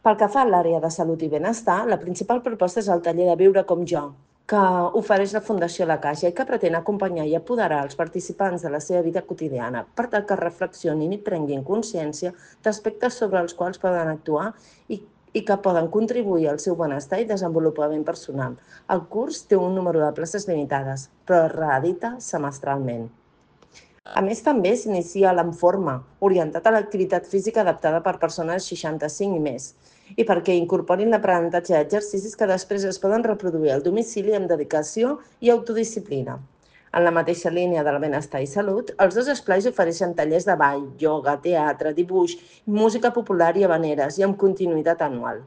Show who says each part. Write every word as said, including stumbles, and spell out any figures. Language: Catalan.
Speaker 1: Pel que fa a l'àrea de salut i benestar, la principal proposta és el taller de Viure com jo, que ofereix la Fundació La Caixa i que pretén acompanyar i apoderar els participants de la seva vida quotidiana per tal que reflexionin i prenguin consciència d'aspectes sobre els quals poden actuar i, i que poden contribuir al seu benestar i desenvolupament personal. El curs té un número de places limitades, però es reedita semestralment. A més, també s'inicia l'Enforma, orientat a l'activitat física adaptada per persones seixanta-cinc i més, i perquè incorporin l'aprenentatge d'exercicis que després es poden reproduir al domicili amb dedicació i autodisciplina. En la mateixa línia del benestar i salut, els dos esplais ofereixen tallers de ball, ioga, teatre, dibuix, música popular i habaneres i amb continuïtat anual.